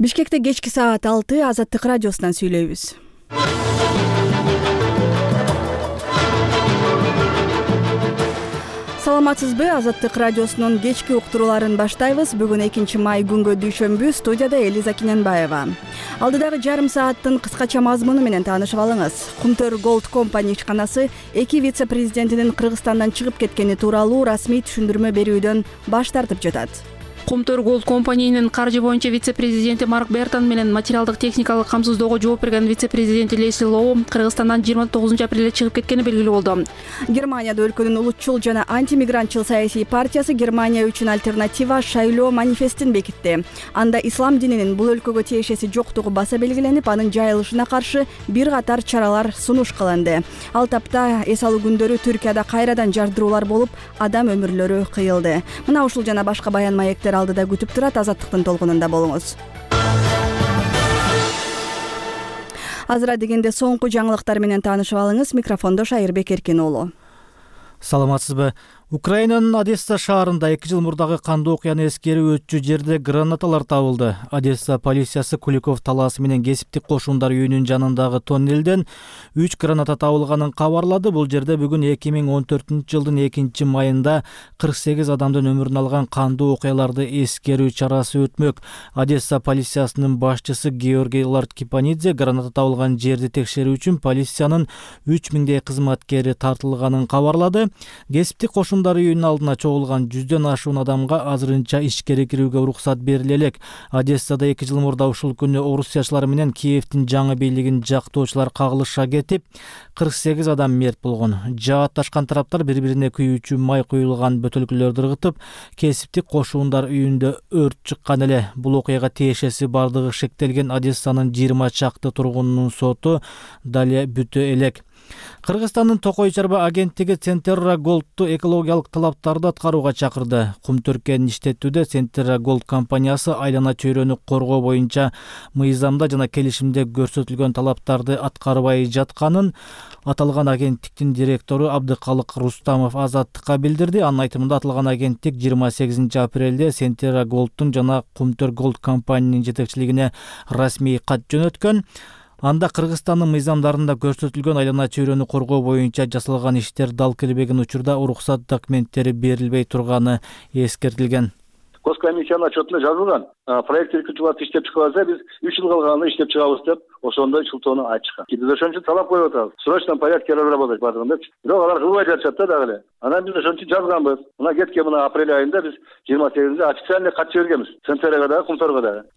Бишкекте кечки саат 6 Азаттык радиосунан сүйлөйбүз. Саламатсызбы? Азаттык радиосунун кечки уктурууларын баштайбыз. Бүгүн 2 май күнгө дүйшөмбү. Студияда Элиза Киненбаева. Алдыдагы жарым сааттын кыскача мазмуну менен таанышып алыңыз. Кумтөр Gold Company ишканасы 2 вице-президентинин Кыргызстандан чыгып кеткени тууралуу расмий түшүндүрмө берүүдөн баш тартып жатат. Кумтөр Gold Company'нин каржы боюнча вице-президенти Марк Бертон менен материалдык техникалык камсыздоого жооп берген вице-президенти Лесли Лоу Кыргызстандан 29 апрелде чыгып кеткени белгилүү болду. Германияда өлкөнүн улутчул жана антимигрантчыл саясий партиясы Германия үчүн альтернатива шайлоо манифестин бекитти. Анда ислам дининин бул өлкөгө тиешеси жоктугу баса белгиленип, анын жайылышына каршы бир катар чаралар сунуш кылынды. Ал тапта эс алуу күндөрү Түркияда кайрадан жардыруулар болуп, адам өмүрлөрү кыйылды. Мына ушул жана башка баян маектер алдыда күтүп турат. Азаттыктын толкунунда болуңуз. Азыра дегенде соңку жаңылыктар менен таанышып алыңыз. Микрофондо Шайырбек Эркин уулу. Саламатсызбы? Украинанын Одесса шаарында 2 жыл мурдагы кандуу окуяны эскерип өтчү жерде гранаталар табылды. Одесса полициясы Куликов талаасы менен кесиптик кошундар үйүнүн жанындагы тоннелден 3 граната табылганын кабарлады. Бул жерде бүгүн 2014-жылдын 2-майында 48 адамдын өмүрүн алган кандуу окуяларды эскерүү чарасы өтмөк. Одесса полициясынын башчысы Георгий Ларткипанидзе граната табылган жерди текшерүү үчүн полициянын 3000 кызматкери тартылганын кабарлады. Кесиптик кошундар үйүнүн алдына чогулган 100дөн ашуун адамга азырынча ишкерге кирүүгө уруксат бериле элек. Одессада 2 жыл мурда ушул күнү орусиячылар менен Киевдин жаңы бийлигин жактоочулар кагылышка кетип, 48 адам мерт болгон. Жаатташкан тараптар бири-бирине күйүүчү май куюлган бөтөлкөлөрдү ыргытып, кесиптик кошундар үйүндө өрт чыккан эле. Бул окуяга тиешеси бардыгы шектелген Одессанын 20 чакты тургунунун соту дале бүтө элек. Кыргызстандын Токой чарба агенттиги Centerra Gold'ту экологиялык талаптарды аткарууга чакырды. Кум-түркенин иштетүүдө Centerra Gold компаниясы айлана чөйрөнү коргоо боюнча мыйзамда жана келишимде көрсөтүлгөн талаптарды аткарбай жатканын аталган агенттиктин директору Абдыкалык Рустамов Азаттыкка билдирди. Анын айтымында аталган агенттик 28 апрелде Centerra Gold'тун жана Кумтөр Gold компаниянын жетекчилигине расмий кат жөнөткөн. Анда Кыргызстандын мыйзамдарында көрсөтүлгөн айлана чөйрөнү коргоо боюнча жасалган иштер дал келбеген учурда уруксат документтери берилбей турганы эскертилген. Госкомиссиянын отчетунда жазылган. Проект иркутууларды иштеп чыгып алса, биз 3 жыл калганда иштеп чыгабыз деп, ошондой шылтоону айтышкан. Биз ошон үчүн талап коюп атабыз. В срочном порядке разработать бардыгын депчи. Бирок алар кылбай жатышат да дагы эле. Анан биз ошон үчүн жазганбыз. Мына кеткен апрель айында биз 28-де официальный кат жибергенбиз. Центрага дагы, Кумторго дагы.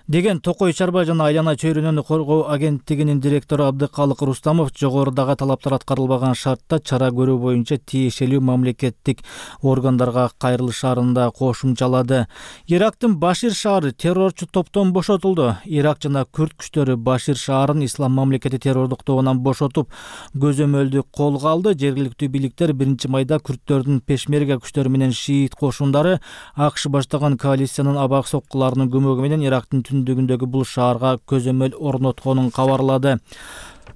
Деген Токой чарба жана айлана чөйрөнү коргоо агенттигинин директору Абдыкалык Рустамов жогорудагы талаптар аткарылбаган шартта чара көрүү боюнча тиешелүү мамлекеттик органдарга кайрылышаарын да кошумчалады. Ирактын Башир шаары террорчу топтон бошотулду. Ирак жана Күрд күчтөрү Башир шаарын ислам мамлекети террордук тобунан бошотуп, көзөмөлдү колго алды. Жергиликтүү бийликтер 1-майда күрдтөрдүн пешмерга күчтөрү менен шиит кошундары АКШ баштаган коалициянын абак соккуларынын көмөгү менен Ирактын түндүгүндөгү бул шаарга көзөмөл орнотконун кабарлады.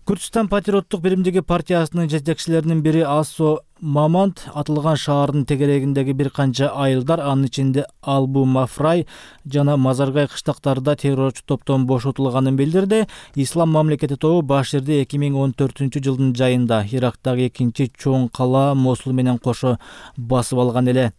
Күрдстан патриоттук биримдиги партиясынын жетекчилеринин бири Асо Мамант атылган шаардын тегерегиндеги бир канча айылдар, анын ичинде Албу Мафрай жана Мазаргай кыштактарында террорчу топтон бошотулганын билдирди. Ислам мамлекети тобу Баширди 2014-жылдын жайында Ирактагы экинчи чоң кала Мосул менен кошо басып алган эле.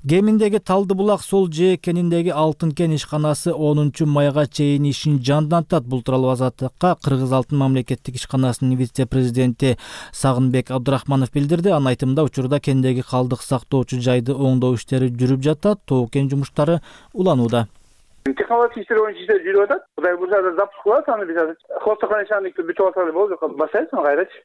Геминдеги Талдыбулак сол жээкениндеги Алтын кен ишканасы 10-майга чейин ишин жандантат. Бул тууралуу Азаттыкка Кыргыз Алтын мамлекеттик ишканасынын вице-президенти Сагынбек Абдрахманов билдирди. Анын айтымында учурда кендеги калдык сактоочу жайды оңдоо иштери жүрүп жатат. Тоо кен жумуштары уланууда. Технология иштери боюнча иштер жүрүп атат. Кудай буйрса запуск кылабыз, аны биз азыр хостохраничаныкты бүтүп аталы болду, басайбыз кайрачы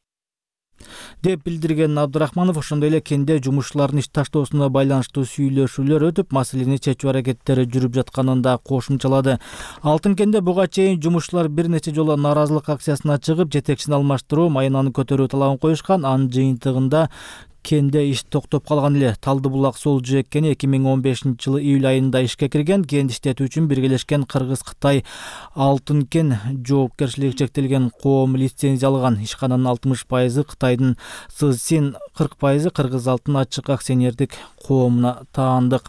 деп билдирген Абдрахманов. Ошондой эле кенде жумушчулардын иш таштоосуна байланыштуу сүйлөшүүлөр өтүп, маселени чечүү аракеттери жүрүп жатканын да кошумчалады. Алтын кенде буга чейин жумушчулар бир нече жолу нааразылык акциясына чыгып, жетекчини алмаштыруу, майынаны көтөрүү талабын коюшкан. Анын жыйынтыгында кенде иш токтоп калган эле. Талды булак сул жээк кени 2015-жылы июль айында ишке кирген. Кенди иштетүү үчүн биргелешкен Кыргыз-Кытай Алтын кен жоопкерчилиги чектелген коом лицензия алган. Ишкананын 60% Кытайдын Сызсин, 40% Кыргыз Алтын ачык акционердик коомуна таандык.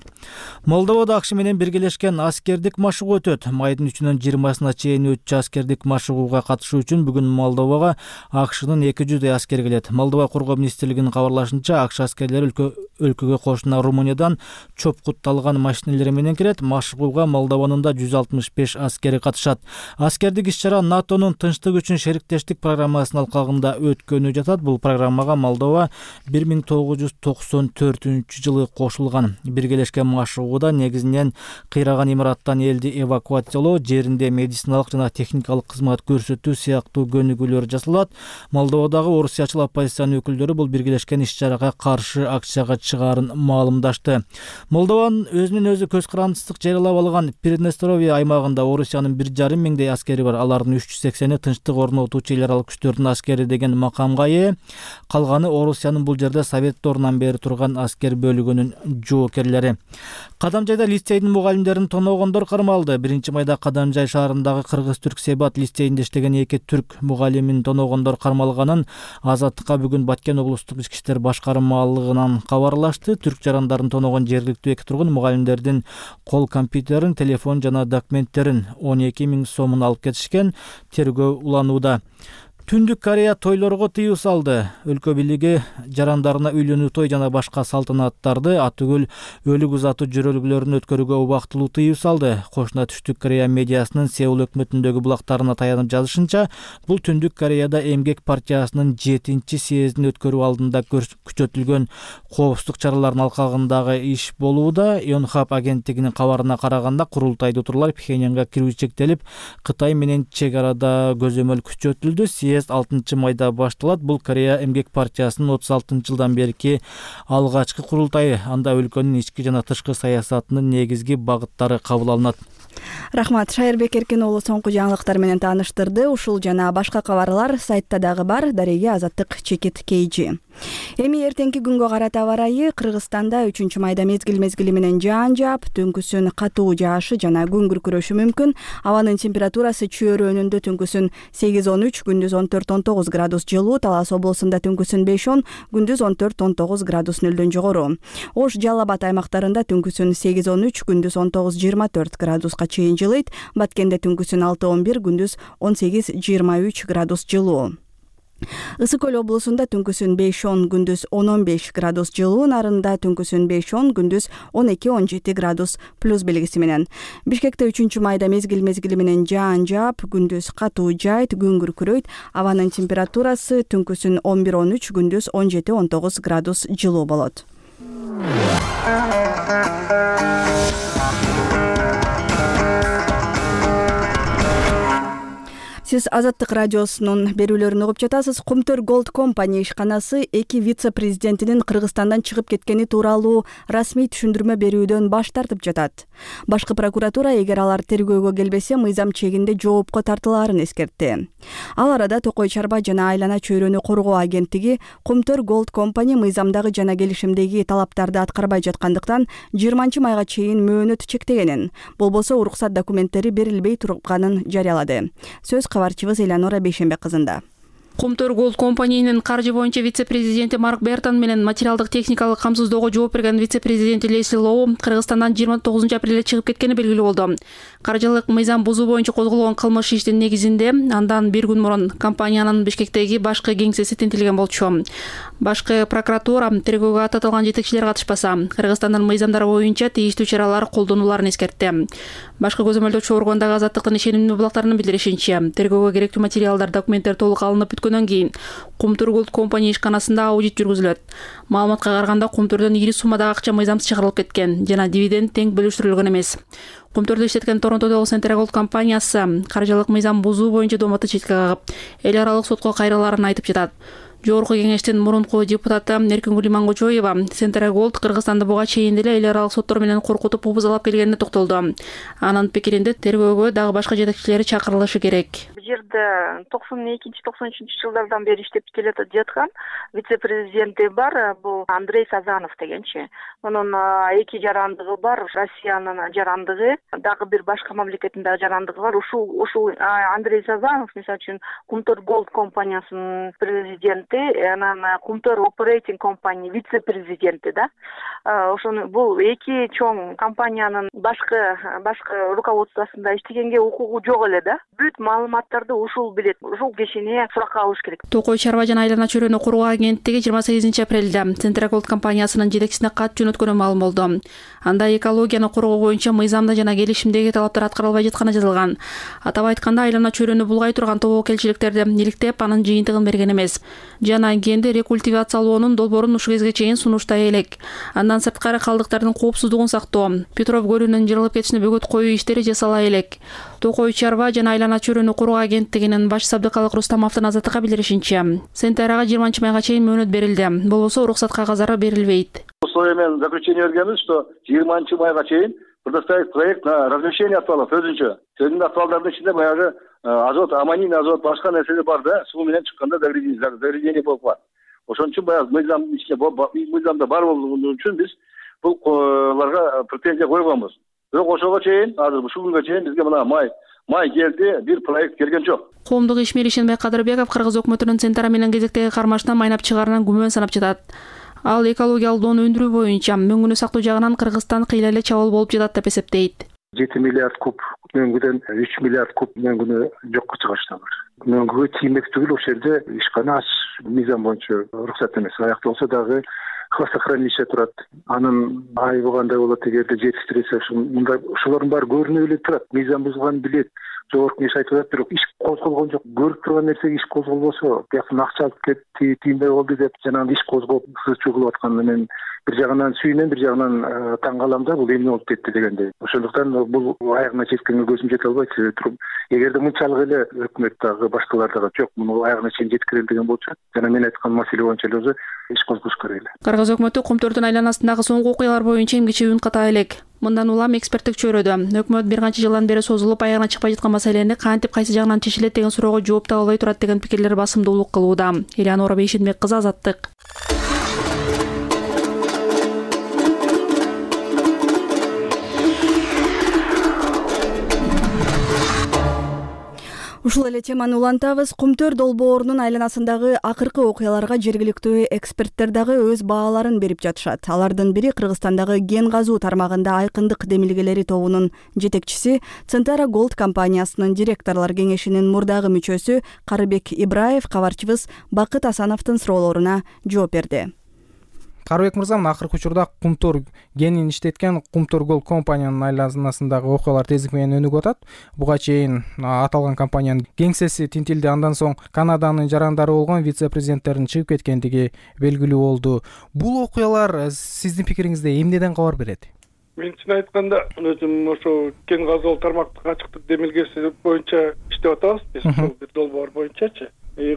Молдовада АКШ менен биргелешкен аскердик машыгуу өтөт. Майдын 3-нөн 20-сына чейин өтчү аскердик машыгууга катышуу үчүн бүгүн Молдовага АКШнын 200 аскери келет. Молдова коргоо министрлигинин кабарлашынча, АКШ аскерлери өлкөгө кошуна Румыниядан чопкутталган машинелер менен кирет. Машыгууга Молдованын да 165 аскери катышат. Аскердик иш-чара НАТОнун тынчтык үчүн шериктештик программасынын алкагында өткөнү жатат. Бул программага Молдова 1994-жылы кошулган. Биргелешкен машыгууда негизинен кыйраган имараттан элди эвакуациялоо, жеринде медициналык жана техникалык кызмат көрсөтүү сыяктуу көнүгүүлөр жасалат. Молдовадагы орусиячыл оппозициянын өкүлдөрү бул биргелешкен иш-чарага каршы акцияга чыгаарын маалымдашты. Молдованын өзүнүн өзү көз карандысыздык жарыялап алган Приднестровье аймагында Орусиянын 1,5 миңдей аскери бар. Алардын 380-и тынчтык орнотуучу эл аралык күчтөрдүн аскери деген макамга ээ. Калганы Орусиянын бул жерде Совет доорунан бери турган аскер бөлүгүнүн жоокерлери. Кадамжайда лицейдин мугалимдерин тоноогондор кармалды. 1-майда Кадамжай шаарындагы Кыргыз-Түрк Себат лицейинде иштеген 2 түрк мугалимин тоноогондор кармалганын Азаттыкка бүгүн Баткен облустук ички иштер башкармалыгынан кабарлашты. Түрк жарандарын тоноогон жергиликтүү 2 тургун мугалимдердин кол компьютерин, телефон жана документтерин 12 миң сомун алып кетишкен. Тергөө уланууда. Түндүк Корея тойлорго тыюу салды. Өлкө бийлиги жарандарына үйлөнүү той жана башка салтанаттарды атүгүл өлүк узатуу жөрөлгүлөрүн өткөрүүгө убактылуу тыюу салды. Кошуна Түштүк Корея медиасынын Сеул өкмөтүндөгү булактарына таянып жазышынча, бул Түндүк Кореяда Эмгек партиясынын 7-съездин өткөрүү алдында күчөтүлгөн коопсуздук чараларынын алкагындагы иш болууда. Yonhap агенттигинин кабарына караганда, курултайда отурлар Пхеньянга кирүү чектелип, Кытай менен чек арада көзөмөл күчөтүлдү. 6-майда башталат. Бул Корея Эмгек партиясынын 36-жылдан берки алгачкы курултайы. Анда өлкөнүн ички жана тышкы саясатынын негизги багыттары кабыл алынат. Рахмат. Шайырбек Эркин уулу соңку жаңылыктар менен тааныштырды. Ушул жана башка кабарлар сайтта дагы бар. Дареге Азаттык Чекит KG. Эми эртеңки күнгө карата аба ырайы. Кыргызстанда 3-майда мезгил менен жаан жаап, түнкүсүн катуу жаашы жана күн күркүрөшү мүмкүн. Абанын температурасы чөйрөнүндө түнкүсүн 8-13, күндүз 14-19 градус жылуу, Талас облусунда түнкүсүн 5-10, күндүз 14-19 градус нөлдөн жогору. Ош, Жалал Абад аймактарында түнкүсүн 8-13, күндүз 19-24 градуска чейин жылыйт. Баткенде түнкүсүн 6-11, күндүз 18-23 градус жылуу. Ысык Көл облусунда түнкүсүн 5-10, күндүз 10-15 градус жылуу, Нарында түнкүсүн 5-10, күндүз 12-17 градус плюс белгиси менен. Бишкекте 3-майда мезгил менен жаан жаап, күндүз катуу жайт, күн күркүрөйт. Абанын температурасы түнкүсүн 11-13, күндүз 17-19 градус жылуу болот. Сиз Азаттык радиосунун берүүлөрүн угуп жатасыз. Кумтөр Gold Company ишканасы 2 вице-президентинин Кыргызстандан чыгып кеткени тууралуу расмий түшүндүрмө берүүдөн баш тартып жатат. Башкы прокуратура эгер алар тергөөгө келбесе, мыйзам чегинде жоопко тартылаарын эскертти. Ал арада Токой чарба жана айлана чөйрөнү коргоо агенттиги Кумтөр Gold Company мыйзамдагы жана келишимдеги талаптарды аткарбай жаткандыктан 20-майга чейин мөөнөт чектегенин, болбосо уруксат документтери берилбей турганын жарыялады. Сөз кабарчыбыз Элеонора Бейшембек кызында. Кумтөр Gold Company'нин каржы боюнча вице-президенти Марк Бертон менен материалдык техникалык камсыздоого жооп берген вице-президенти Лесли Лоу Кыргызстандан 29 апрелде чыгып кеткени белгилүү болду. Каржылык мыйзам бузуу боюнча козголгон кылмыш иштин негизинде андан бир күн мурун компаниянын Бишкектеги башкы кеңсеси тинтилген болчу. Башкы прокуратура тергөөгө татылган жетекчилер катышпаса, Кыргызстандын мыйзамдары боюнча тийиштүү чаралар колдонуларын эскертти. Башкы көзөмөлдөөчү органдагы Азаттыктын ишенимдүү булактарынын билдиришинче, тергөөгө керектүү материалдар, документтер толук алынып бүткөндөн кийин Кумтөр Gold Company ишканасында аудит жүргүзүлөт. Маалыматка караганда Кумтөрдөн ири суммадагы акча мыйзамсыз чыгарылып кеткен жана дивиденд тең бөлүштүрүлгөн эмес. Кумтөрдө иштеткен Торонтодогу Central Gold компаниясы каржылык мыйзам бузуу боюнча домоту четке кагып, эл аралык сотко кайрылаарын айтып жатат. Жогорку кеңештин мурунку депутаты Эркингүл Имангочоева Central Gold Кыргызстанды буга чейин деле эл аралык соттор менен коркутуп убузалап келгенине токтолду. Анын пикиринде тергөөгө дагы башка жетекчилери чакырылышы керек. жерде 92-93 жылдардан бери иштеп келе жаткан вице-президенти бар, бул Андрей Сазанов дегенчи. Анын 2 жарандыгы бар, Россиянын жарандыгы, дагы бир башка мамлекеттин дагы жарандыгы бар. Ушул Андрей Сазанов, мисалы үчүн, Кумтор Голд компаниясынын президенти, анан Кумтор Operating компания вице-президенти да. Ошону бул 2 чоң компаниянын башкы руководствосунда иштегенге укугу жок эле да. Бүт маалыматтарды ушул билет. Ушул кишине суракка алыш керек. Токой чарба жана айлана чөйрөнү куруу агенттиги 28 апрелде Центраголд компаниясынын жетекчисине кат жөнөткөнү маалым болду. Анда экологияны коргоо боюнча мыйзамда жана келишимдеги талаптар аткарылбай жатканы жазылган. Атап айтканда, айлана чөйрөнү булгай турган тобокелчиликтерди иликтеп, анын жыйынтыгын берген эмес. Жана кенди рекультивациялоонун долбоорун ушул кезге чейин сунуштай элек. Андан сырткары калдыктардын коопсуздугун сактоо, Петров көлүнүн жырылып кетишине бөгөт коюу иштери жасала элек. Токой чарба жана айлана чөйрөнү куруу агенттигинин баш сабдыкалык Рустамовдун азаттыкка билдиришинче, Сентарага 20 майга чейин мөөнөт берилди. Болбосо уруксат кагаздары берилбейт. Условия менен заключение бергенбиз, что 20 майга чейин предоставить проект на разрешение аталып өзүнчө. Сөзүн аталдардын ичинде баягы азот, аммоний азот, башка нерселер бар да, суу менен чыкканда загрязнение болуп калат. Ошон үчүн баягы мыйзамда бар болгон үчүн биз буларга претензия койгонбуз. Бирок ошого чейин, азыр ушул күнгө чейин бизге мына май келди, бир проект келген жок. Коомдук ишмер Ишенбай Кадырбеков Кыргыз өкмөтүнүн Центара менен кезектеги кармашынан майнап чыгаарынан күмөн санап жатат. Ал экологиялык доону өндүрүү боюнча мөңгүнү сактоо жагынан Кыргызстан кыйла эле чабуул болуп жатат деп эсептейт. 7 миллиард куб мөңгүдөн 3 миллиард куб мөңгүнү жокко чыгарышта бар. Мөңгүгө тиймек түгүл, ошол жерде ишкана мыйзам боюнча уруксат эмес. Аякталса дагы хвостохранилище турат. Анын айыбыгандай болот эгерде жетиштирсе, ушулардын баары көрүнүп эле турат. Мыйзам бузулганын билет. Жогорку кеңеш айтып атат, бирок иш козголгон жок. Көрүп турган нерсеге иш козголбосо, бияктан акча алып кетти, тиймей болду деп жанагы иш козголуп сызчу кылып атканы мен бир жагынан сүйүнөм, бир жагынан таң калам да, бул эмне болуп кетти дегендей. Ошондуктан бул аягына жеткенге көзүм жете албайт. Эгерде мынчалык эле өкмөт дагы башкалар дагы жок, муну аягына чейин жеткирели деген болчу, жана мен айткан маселе боюнча эле иш козгош керек эле. Кыргыз өкмөтү Кумтордун айланасындагы соңку окуялар боюнча эмгиче үн ката элек. Мындан улам эксперттик чөйрөдө өкмөт бир канча жылдан бери созулуп аягына чыкпай жаткан маселени кантип кайсы жагынан чечилет деген суроого жооп таба албай турат деген пикирлер басымдуулук кылууда. Элеонора Бейшенбек кызы, Азаттык. Ушул эле теманы улантабыз. Кумтөр долбоорунун айланасындагы акыркы окуяларга жергиликтүү эксперттер дагы өз бааларын берип жатышат. Алардын бири Кыргызстандагы кен казуу тармагында айкындык демилгелери тобунун жетекчиси, Центара Голд компаниясынын директорлор кеңешинин мурдагы мүчөсү Карыбек Ибраев кабарчыбыз Бакыт Асановдун суроолоруна жооп берди. Карыбек мырза, акыркы учурда Кумтор кенин иштеткен Кумтор Голд компаниянын айланасындагы окуялар тездик менен өнүгүп атат. Буга чейин аталган компаниянын кеңсеси тинтилди, андан соң Канаданын жарандары болгон вице-президенттердин чыгып кеткендиги белгилүү болду. Бул окуялар сиздин пикириңизде эмнеден кабар берет? Мен чын айтканда, өзүм ошо кен казуу тармактык ачыктык демилгеси боюнча иштеп атабыз. Биз ушул бир долбоор боюнчачы.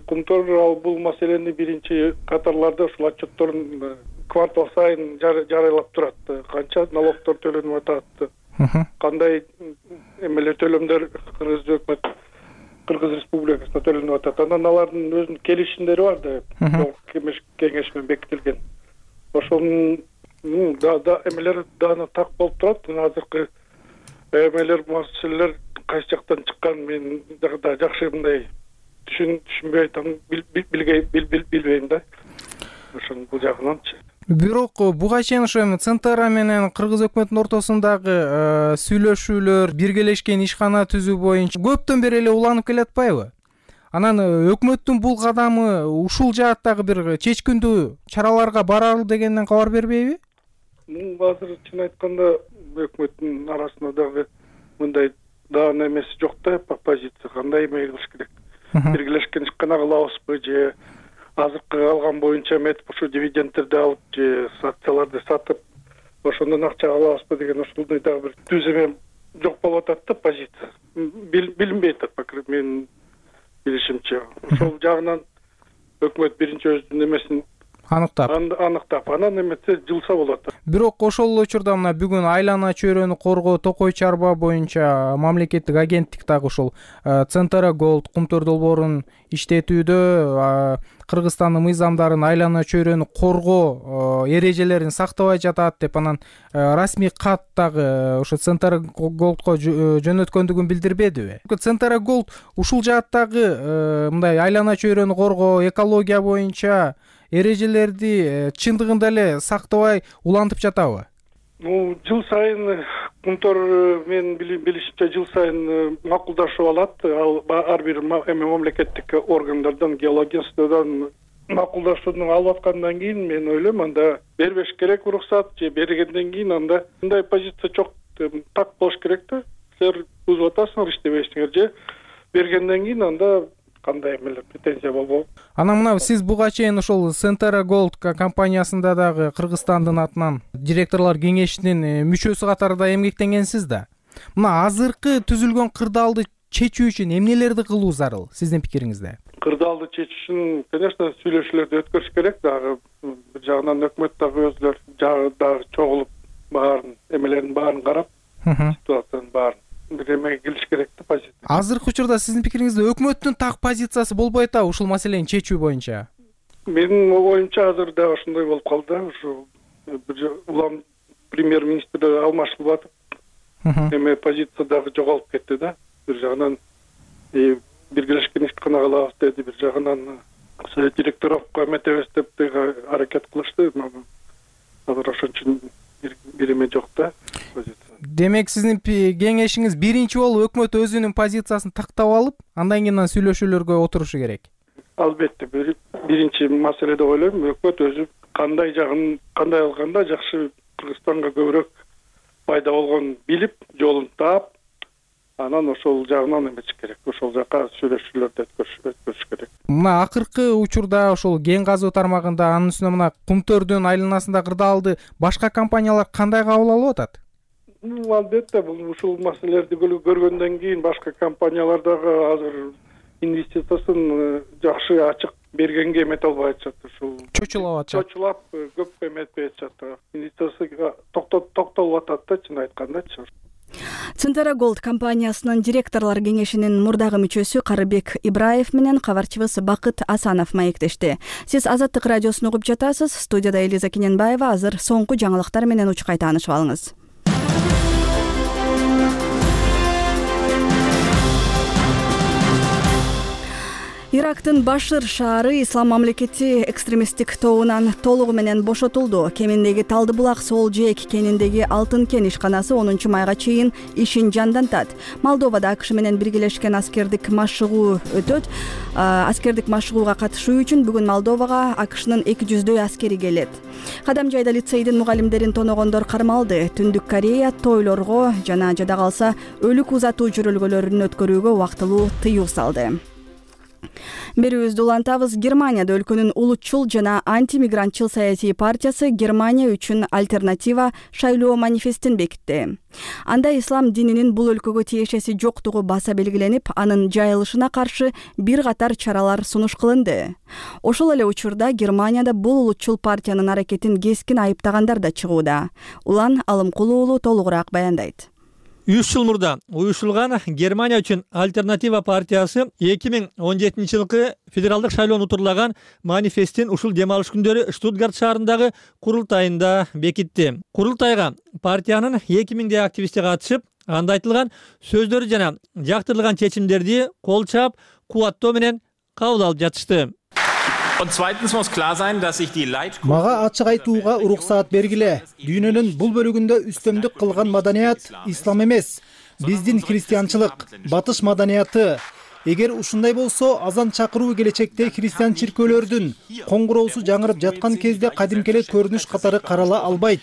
Кумтор бул маселени биринчи катарларда ушул отчетторун квартал сайын жарыйлап турат. Канча налогдор төлөнүп атат, кандай эмелер төлөмдөр Кыргыз өкмөт, Кыргыз Республикасына төлөнүп атат. Анан алардын өзүнүн келишимдери бар да, кеңеш менен бекитилген. Ошонун эмелер даны так болуп турат. Азыркы эмелер, маселелер кайсы жактан чыккан мен да жакшы мындай түшүнбөй атам, билбейм да. Ошон бул жагынанчы. Бирок буга чейин ошо Центара менен Кыргыз өкмөтүнүн ортосундагы сүйлөшүүлөр, биргелешкен ишкана түзүү боюнча көптөн бери эле уланып келатпайбы? Анан өкмөттүн бул кадамы ушул жааттагы бир чечкиндүү чараларга барар дегенден кабар бербейби? Азыр чын айтканда өкмөттүн арасында дагы мындай даан эмеси жок да, позиция кандай эме кылыш керек. Биргелешкен ишкана кылабызбы же азыркы алган боюнча метип ушу дивидендтерди алып же акцияларды сатып ошондон акча алабызбы деген ушундай дагы бир түз эме жок болуп атат да, позиция. Билинбей атат, менин билишимче. Ошол жагынан өкмөт биринчи өзүнүн эмесин аныктап анан эметсе жылса болот. Бирок ошол эле учурда мына бүгүн айлана чөйрөнү коргоо токой чарба боюнча мамлекеттик агенттик дагы ошол Центра Голд кумтөр долбоорун иштетүүдө Кыргызстандын мыйзамдарын айлана чөйрөнү коргоо эрежелерин сактабай жатат деп анан расмий кат дагы ошо Центра Голдко жөнөткөндүгүн билдирбедиби? Центра Голд ушул жааттагы мындай айлана чөйрөнү коргоо, экология боюнча эрежелерди чындыгында эле сактабай улантып жатабы? Жыл сайын кумтор мен билишимче жыл сайын макулдашып алат. Ал ар бир мамлекеттик органдардан, геологиядан макулдашууну алып аткандан кийин мен ойлойм анда бербеш керек уруксат же бергенден кийин анда мындай позиция жок, так болуш керек да. Силер бузуп атасыңар, иштебейсиңер же бергенден кийин анда кандай эмелер претензия болбойт. Анан мына сиз буга чейин ошол Центра Голд компаниясында дагы Кыргызстандын атынан директорлор кеңешинин мүчөсү катарында эмгектенгенсиз да. Мына азыркы түзүлгөн кырдаалды чечүү үчүн эмнелерди кылуу зарыл сиздин пикириңизде? Кырдаалды чечүү үчүн, конечно, сүйлөшүүлөрдү өткөрүш керек. Дагы бир жагынан өкмөт дагы өзлөр дагы чогулуп баарын эмелерин баарын карап, ситуациянын баарын бир эмеге келиш керек да, позиция. Азыркы учурда сиздин пикириңизде өкмөттүн так позициясы болбой атабы ушул маселени чечүү боюнча? Менин оюмча азыр дагы ошондой болуп калды. Ушу бир улам премьер-министр алмашылып атып, эме позиция дагы жоголуп кетти да. Бир жагынан биргелешкен ишкана кылабыз деди, бир жагынан совет директоровго эметебиз деп аракет кылышты. Азыр ошон үчүн бир эме жок да, позиция. Демек сиздин кеңешиңиз биринчи болуп өкмөт өзүнүн позициясын тактап алып, андан кийин сүйлөшүүлөргө отурушу керек. Албетте, биринчи маселе деп ойлойм, өкмөт өзү кандай алганда жакшы Кыргызстанга көбүрөөк пайда болгонун билип, жолун таап, анан ошол жагынан эмеш керек. Ошол жака сүйлөшүүлөрдү өткөрүш керек. Мына акыркы учурда ошол кен казуу тармагында, анын үстүнө мына кумтөрдүн айланасында кырдаалды башка компаниялар кандай кабыл алып атат? Албетте, бул ушул маселелерди көргөндөн кийин башка компаниялар дагы азыр инвестициясын жакшы ачык бергенге эмете албай атышат. Ушул чочулап көп эметпей атышат. Инвестициясы токтолуп атат да, чын айткандачы. Центра Голд компаниясынын директорлор кеңешинин мурдагы мүчөсү Карыбек Ибраев менен кабарчыбыз Бакыт Асанов маектешти. Сиз Азаттык радиосун угуп жатасыз. Студияда Элиза Кененбаева. Азыр соңку жаңылыктар менен учкай таанышып алыңыз. Ирактын Башир шаары Ислам мамлекети экстремисттик тобунан толугу менен бошотулду. Кеминдеги Талды булак Сол Жээк кениндеги Алтын кен ишканасы 10 майга чейин ишин жандантат. Молдовада АКШ менен биргелешкен аскердик машыгуу өтөт. Аскердик машыгууга катышуу үчүн бүгүн Молдовага АКШнын 200дөй аскери келет. Кадамжайда лицейдин мугалимдерин тоногондор кармалды. Түндүк Корея тойлорго жана жада калса өлүк узатуу жүрөлгөлөрүн өткөрүүгө убактылуу тыюу салды. Берүүбүздү улантабыз. Германияда өлкөнүн улутчул жана антимигрантчыл саясий партиясы Германия үчүн альтернатива шайлоо манифестин бекитти. Анда ислам дининин бул өлкөгө тиешеси жоктугу баса белгиленип, анын жайылышына каршы бир катар чаралар сунуш кылынды. Ошол эле учурда Германияда бул улутчул партиянын аракетин кескин айыптагандар да чыгууда. Улан Алымкулуу уулу толугураак баяндайт. 3 жыл мурда уюштурулган Германия үчүн альтернатива партиясы 2017 жылкы федералдык шайлоону утурлаган манифестин ушул дем алыш күндөрү Штутгарт шаарындагы курултайында бекитти. Курултайга партиянын 2000 активисти катышып, анда айтылган сөздөрү жана жактырылган чечимдерди кол чаап, кубаттоо менен кабыл алып жатышты. Мага ачык айтууга уруксаат бергиле. Дүйнөнүн бул бөлүгүндө үстөмдүк кылган маданият ислам эмес, биздин христианчылык, батыш маданияты. Эгер ушундай болсо, азан чакыруу келечекте христиан чиркөөлөрдүн коңгуроосу жаңырып жаткан кезде кадимки эле көрүнүш катары карала албайт.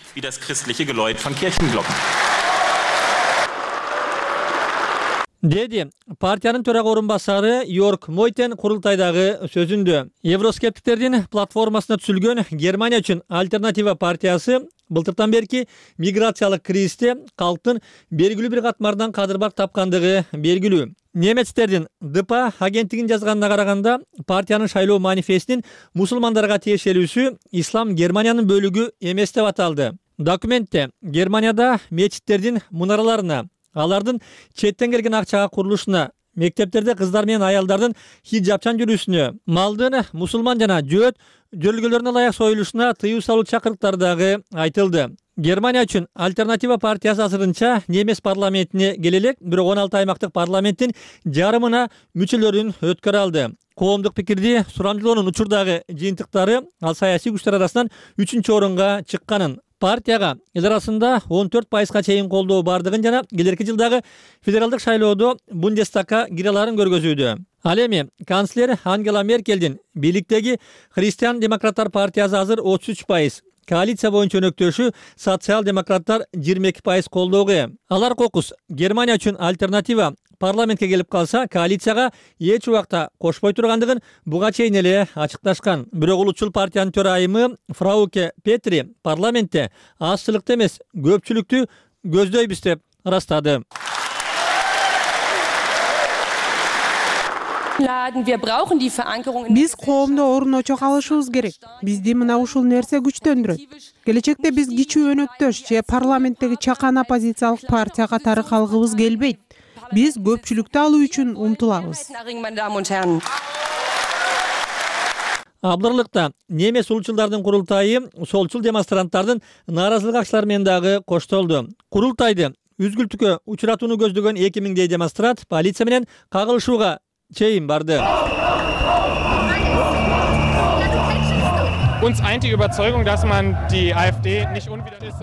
Деди партиянын төрага орун басары Йорк Мойтен курултайдагы сөзүндө. Евроскептиктердин платформасына түзүлгөн Германия үчүн альтернатива партиясы былтыртан берки миграциялык кризисте калктын белгилүү бир катмардан кадырбак тапкандыгы белгилүү. Немецтердин ДПА агенттигин жазганына караганда, партиянын шайлоо манифестинин мусулмандарга тиешелүүсү ислам Германиянын бөлүгү эмес деп аталды. Документте Германияда мечиттердин мунараларына, алардын четтен келген акчага курулушуна, мектептерде кыздар менен аялдардын хиджабчан жүрүүсүнө, малдын мусулман жана жөөт жөрөлгөлөрүнө ылайык союлушуна тыюу салуу чакырыктары дагы айтылды. Германия үчүн альтернатива партиясы азырынча немес парламентине келе элек, бирок 16 аймактык парламенттин жарымына мүчөлөрүн өткөрө алды. Коомдук пикирди сурамжылоонун учурдагы жыйынтыктары ал саясий күчтөр арасынан 3-чү орунга чыкканын, партияга эл арасында 14% чейин колдоо бардыгын жана келерки жылдагы федералдык шайлоодо Бундестагга кире аларын көргөзүүдө. Ал эми канцлер Ангела Меркелдин бийликтеги Христиан-демократтар партиясы азыр 33%, коалиция боюнча өнөктөшү социал-демократтар 22% колдоого ээ. Алар кокус Германия үчүн альтернатива парламентке келип калса, коалицияга эч убакта кошпой тургандыгын буга чейин эле ачыкташкан. Бирок улутчул партиянын төрайымы Фрауке Петри парламентте азчылыкты эмес, көпчүлүктү көздөйбүз деп ырастады. Биз коомдо орун очок алышыбыз керек. Бизди мына ушул нерсе күчтөндүрөт. Келечекте биз кичүү өнөктөш же парламенттеги чакан оппозициялык партия катары калгыбыз келбейт. Биз көпчүлүктү алуу үчүн умтулабыз. Абдырлыкта немес улутчулдардын курултайы солчул демонстранттардын нааразылык акчалары менен дагы коштолду. Курултайды үзгүлтүккө учуратууну көздөгөн 2000 демонстрант полиция менен кагылышууга чейин барды.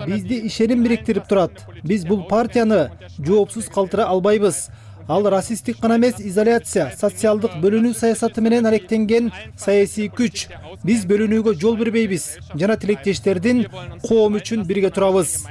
Бизди ишеним бириктирип турат. Биз бул партияны жоопсуз калтыра албайбыз. Ал расисттик гана эмес, изоляция, социалдык бөлүнүү саясаты менен алектенген саясий күч. Биз бөлүнүүгө жол бербейбиз жана тилектештердин коом үчүн бирге турабыз.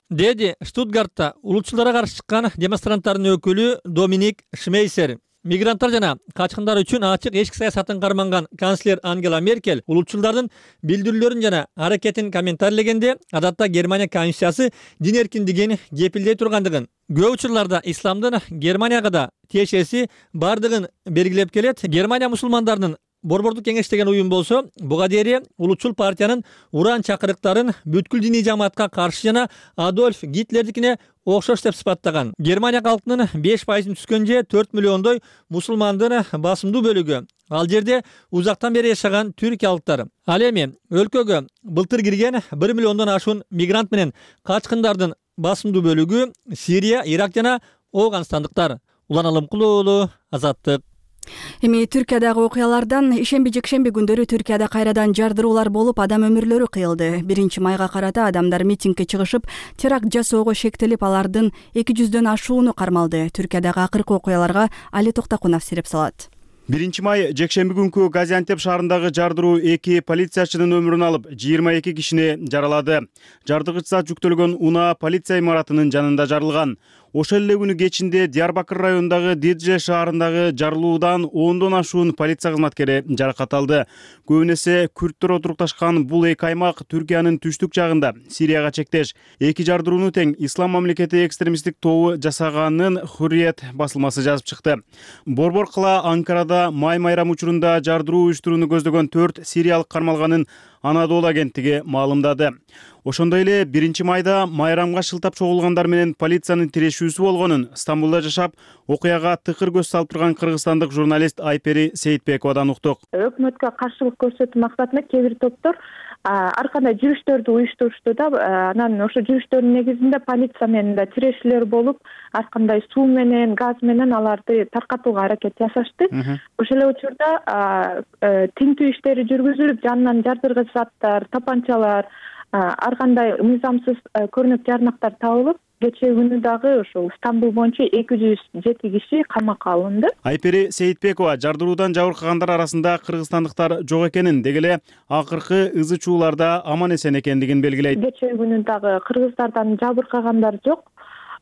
Деди Штутгартта улутчулдарга каршы чыккан демонстранттардын өкүлү Доминик Шмейсер. Мигранттар жана качкындар үчүн ачык эшик саясатын карманган канцлер Ангела Меркель улутчулдардын билдирүүлөрүн жана аракетин комментарийлегенде, адатта Германия конституциясы дин эркиндигин кепилдей тургандыгын, көп учурларда исламдын Германияга да тиешеси бардыгын белгилеп келет. Германия мусулмандарынын Борбордук кеңеш деген уюм болсо, буга дейин улутчул партиянын уран чакырыктарын бүткүл диний жамаатка каршы жана Адольф Гитлердикине окшош деп сыпаттаган. Германия калкынын 5% түскөн же 4 миллиондой мусулмандын басымдуу бөлүгү. Ал жерде узактан бери жашаган түркиялыктар. Ал эми өлкөгө былтыр кирген 1 миллиондон ашуун мигрант менен качкындардын басымдуу бөлүгү Сирия, Ирак жана Ооганстандыктар. Улан Алымкулуу уулу, Азаттык. Эми Түркиядагы окуялардан ишемби-жекшемби күндөрү Түркияда кайрадан жардыруулар болуп, адам өмүрлөрү кыйылды. 1 майга карата адамдар митингге чыгышып, теракт жасоого шектелип, алардын 200дөн ашууну кармалды. Түркиядагы акыркы окуяларга Али Токтакунов сереп салат. 1 май жекшемби күнкү Газиантеп шаарындагы жардыруу 2 полициячынын өмүрүн алып, 22 кишини жаралады. Жардыгыч зат жүктөлгөн унаа полиция имаратынын жанында жарылган. Ошол эле күнү кечинде Диярбакыр районундагы Дидже шаарындагы жарылуудан 10дон ашуун полиция кызматкери жаракат алды. Көбүнесе күрттөр отурукташкан бул эки аймак Түркиянын түштүк жагында, Сирияга чектеш. Эки жардырууну тең Ислам мамлекети экстремисттик тобу жасаганын Hurriyet басылмасы жазып чыкты. Борбор кыла Анкарада май майрам учурунда жардыруу уюштурууну көздөгөн 4 сириялык кармалганын Анадолу агенттиги маалымдады. Ошондой эле 1 майда майрамга шылтап чогулгандар менен полициянын тирешүүсү болгонун Стамбулда жашап, окуяга тыкыр көз салып турган кыргызстандык журналист Айпери Сейитбековадан уктук. Өкмөткө каршылык көрсөтүү максатында кээ бир топтор ар кандай жүрүштөрдү уюштурушту да, анан ошо жүрүштөрдүн негизинде полиция менен да тирешүүлөр болуп, ар кандай суу менен, газ менен аларды таркатууга аракет жасашты. Ошол эле учурда тинтүү иштери жүргүзүлүп, жанынан жардыргыч заттар, тапанчалар, ар кандай мыйзамсыз көрүнөк жарнактар табылып, кечээ күнү дагы ошол Стамбул боюнча 207 киши камакка алынды. Айпери Сейитбекова жардыруудан жабыркагандар арасында кыргызстандыктар жок экенин, деги эле акыркы ызы чууларда аман эсен экендигин белгилейт. Кечээ күнү дагы кыргыздардан жабыркагандар жок.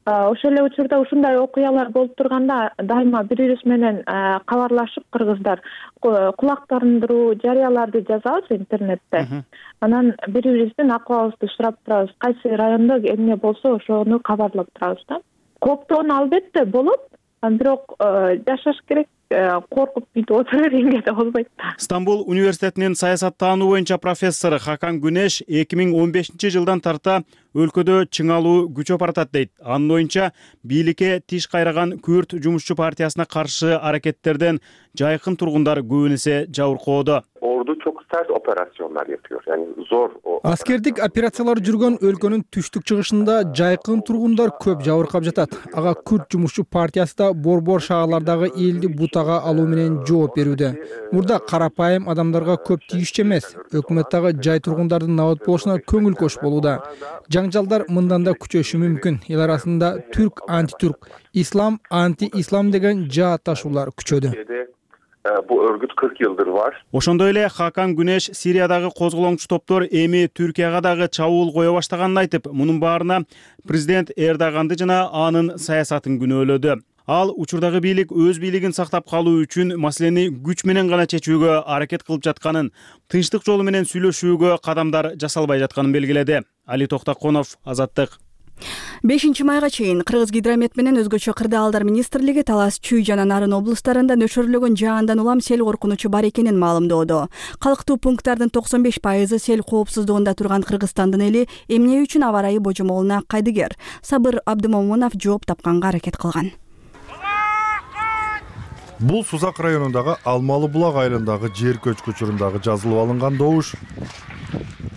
Ошол эле учурда ушундай окуялар болуп турганда дайыма бири бирибиз менен кабарлашып кыргыздар кулактандыруу жарыяларды жазабыз интернетте. Анан бири бирибиздин акыбалыбызды сурап турабыз. Кайсы райондо эмне болсо ошону кабарлап турабыз да. Коптоон албетте болот, бирок жашаш керек. Коркуп бүтүп отура бергенге да болбойт да. Стамбул университетинин саясаттануу боюнча профессору Хакан Күнеш 2015-жылдан тарта өлкөдө чыңалуу күчөп баратат дейт. Анын оюнча бийликке тиш кайраган Күрд жумушчу партиясына каршы аракеттерден жайкын тургундар көбүн эсе жабыркоодо. Ordu çok sert operasyonlar yapıyor. Yani zor o. Аскердик операциялар жүргөн өлкөнүн түштүк чыгышында жайкын тургундар көп жабыркап жатат. Ага Күрд жумушчу партиясы да борбор шаарлардагы элди бутага алуу менен жооп берүүдө. Мурда карапайым адамдарга көп тийишчү эмес. Өкмөт дагы жай тургундардын набат болушуна көңүл кош болууда. Жаңжалдар мындан да күчөшү мүмкүн. Эл арасында түрк антитүрк, ислам анти-ислам деген жаатташуулар күчөдү. Bu örgüt 40 yıldır var. Ошондой эле Хакан Күнеш Сириядагы козголоңчу топтор эми Түркияга дагы чабуул кое баштаганын айтып, мунун баарына президент Эрдоганды жана анын саясатын күнөөлөдү. Ал учурдагы бийлик өз бийлигин сактап калуу үчүн маселени күч менен гана чечүүгө аракет кылып жатканын, тынчтык жолу менен сүйлөшүүгө кадамдар жасалбай жатканын белгиледи. Али Токтаконов, Азаттык. 5-майга чейин Кыргыз гидромет менен өзгөчө кырдаалдар министрлиги Талас, Чүй жана Нарын облустарында нөшөрлөгөн жаандан улам сел коркунучу бар экенин маалымдоодо. Калктуу пункттардын 95% сел коопсуздугунда турган Кыргызстандын эли эмне үчүн аба ырайы божомолуна кайдыгер? Сабыр Абдымомунов жооп тапканга аракет кылган. Бул Сузак районундагы Алмалы булак айылындагы жер көчкү учурундагы жазылып алынган добуш.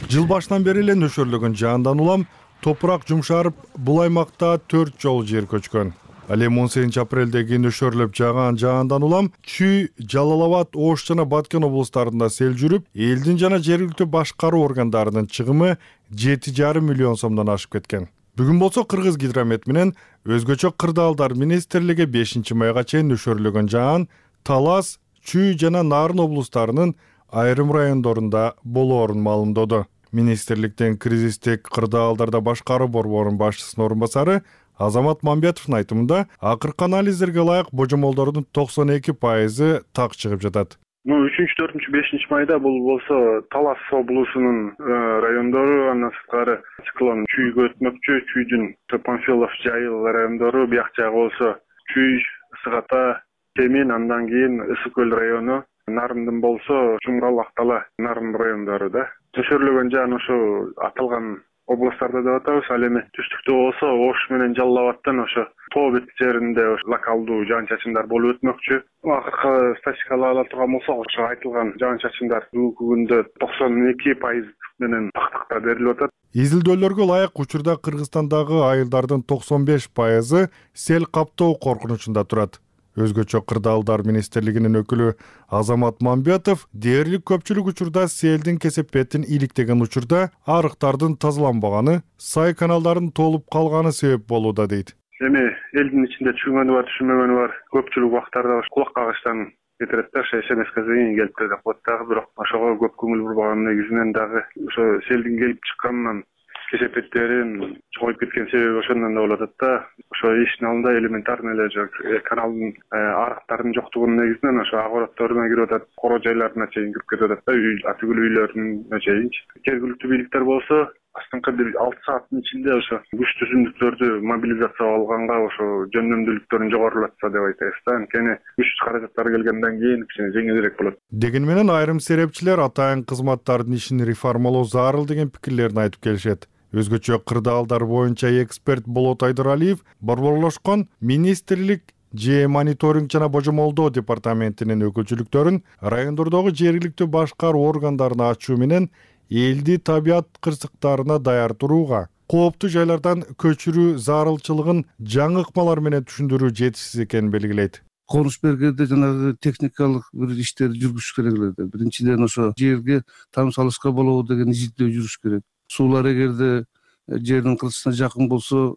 Жыл башынан бери эле нөшөрлөгөн жаандан улам топурак жумшарып, бул аймакта 4 жолу жер көчкөн. Ал эми 18-апрелдеги нөшөрлөп жааган жаандан улам Чүй, Жалал-Абад, Ош жана Баткен облустарында сел жүрүп, элдин жана жергиликтүү башкаруу органдарынын чыгымы 7,5 миллион сомдон ашып кеткен. Бүгүн болсо Кыргыз гидромет менен өзгөчө кырдаалдар министрлиги 5-майга чейин нөшөрлөгөн жаан Талас, Чүй жана Нарын облустарынын айрым райондорунда болоорун маалымдоду. Министрликтен кризистик кырдаалдарда башкаруу борборунун башчысынын орун басары Азамат Мамбетовдун айтымында акыркы анализдерге ылайык божомолдордун 92% так чыгып жатат. 3-4-5 майда бул болсо Талас облусунун райондору, андан сырткары циклон Чүйгө өтмөкчү, Чүйдүн Панфилов, Жайыл райондору, бияк жагы болсо Чүй, Сыгата, Темин, андан кийин Ысык көл району, Нарындын болсо Жумрал, Актала, Нарын райондору да. Нөшөрлөгөн жаан ошо аталган областтарда деп атабыз. Ал эми түштүктө болсо Ош менен Жалал-Абадтан ошо тоо бет жеринде локалдуу жаан-чачындар болуп өтмөкчү. Акыркы статистикаларды ала турган болсок, ошо айтылган жаан-чачындар бүгүнкү күндө 92% менен тактыкта берилип атат. Изилдөөлөргө ылайык учурда Кыргызстандагы айылдардын 95% сел каптоо коркунучунда турат. Өзгөчө кырдаалдар министрлигинин өкүлү Азамат Мамбетов дээрлик көпчүлүк учурда селдин кесепетин иликтеген учурда арыктардын тазаланбаганы, сай каналдардын толуп калганы себеп болууда дейт. Эми элдин ичинде түшүнгөнү бар, түшүнмөгөнү бар. Көпчүлүк убактарда кулак кагыштан кетирет да, СМС-ке зыйын келип деп коет дагы, бирок ошого көп көңүл бурбаганын негизинен дагы ошо селдин келип чыкканынан кесепеттерин чоңоюп кеткен себеби ошондон да болуп атат да. Ошо иштин алдында элементарный эле каналдын арыктардын жоктугунун негизинен ошо огородторуна кирип атат, коро жайларына чейин кирип кетип атат да, атүгүл үйлөрүнө чейинчи. Жергиликтүү бийликтер болсо астыңкы бир 6 сааттын ичинде ошо күч түзүмдүктөрдү мобилизация алганга ошо жөндөмдүүлүктөрүн жогорулатса деп айтабыз да. Анткени күч каражаттары келгенден кийин кичине жеңилирээк болот. Дегени менен айрым серепчилер атайын кызматтардын ишин реформалоо зарыл деген пикирлерин айтып келишет. Өзгөчө кырдаалдар боюнча эксперт Болот Айдыралиев борборлошкон министрлик же мониторинг жана божомолдоо департаментинин өкүлчүлүктөрүн райондордогу жергиликтүү башкаруу органдарына ачуу менен элди табият кырсыктарына даярдырууга, кооптуу жайлардан көчүрүү зарылчылыгын жаңы ыкмалар менен түшүндүрүү жетишсиз экенин белгилейт. Конуш бергенде жанагы техникалык бир иштерди жүргүзүш керек эле. Биринчиден ошо жерге там салышка болобу деген изилдөө жүрүш керек. Суулар эгерде жердин кыртысына жакын болсо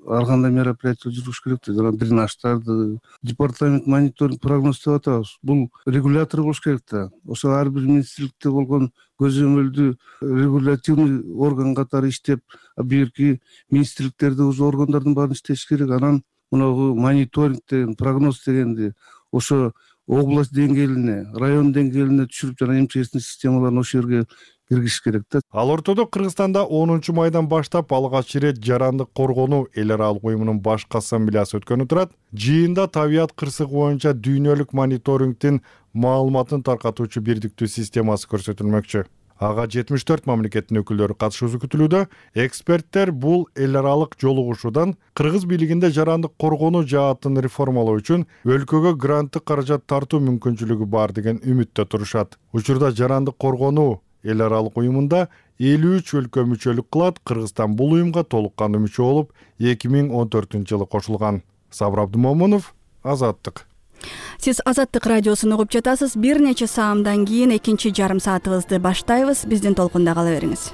ар кандай мероприятие жүргүзүш керек да, жана дренаждарды департамент мониторинг прогноз деп атабыз. Бул регулятор болуш керек да. Ошо ар бир министрликте болгон көзөмөлдүү регулятивный орган катары иштеп, бирки министрликтерде уже органдардын баарын иштеш керек. Анан мынагу мониторинг деген, прогноз дегенди ошо область деңгээлине, район деңгээлине түшүрүп, жана МЧСтин системаларын ошол жерге киргизиш керек да. Ал ортодо Кыргызстанда 10 майдан баштап алгач ирет жарандык коргонуу эл аралык уюмунун баш ассамблеясы өткөнү турат. Жыйында табият кырсыгы боюнча дүйнөлүк мониторингдин маалыматын таркатуучу бирдиктүү системасы көрсөтүлмөкчү. Ага 74 мамлекеттин өкүлдөрү катышуусу күтүлүүдө. Эксперттер бул эл аралык жолугушуудан кыргыз бийлигинде жарандык коргонуу жаатын реформалоо үчүн өлкөгө гранттык каражат тартуу мүмкүнчүлүгү бар деген үмүттө турушат. Учурда жарандык коргонуу эл аралык уюмунда 53 өлкө мүчөлүк кылат. Кыргызстан бул уюмга толук кандуу мүчө болуп 2014-жылы кошулган. Сабыр Абдымомунов, Азаттык. Сиз Азаттык радиосун угуп жатасыз. Бир нече саамдан кийин экинчи жарым саатыбызды баштайбыз. Биздин толкунда кала бериңиз.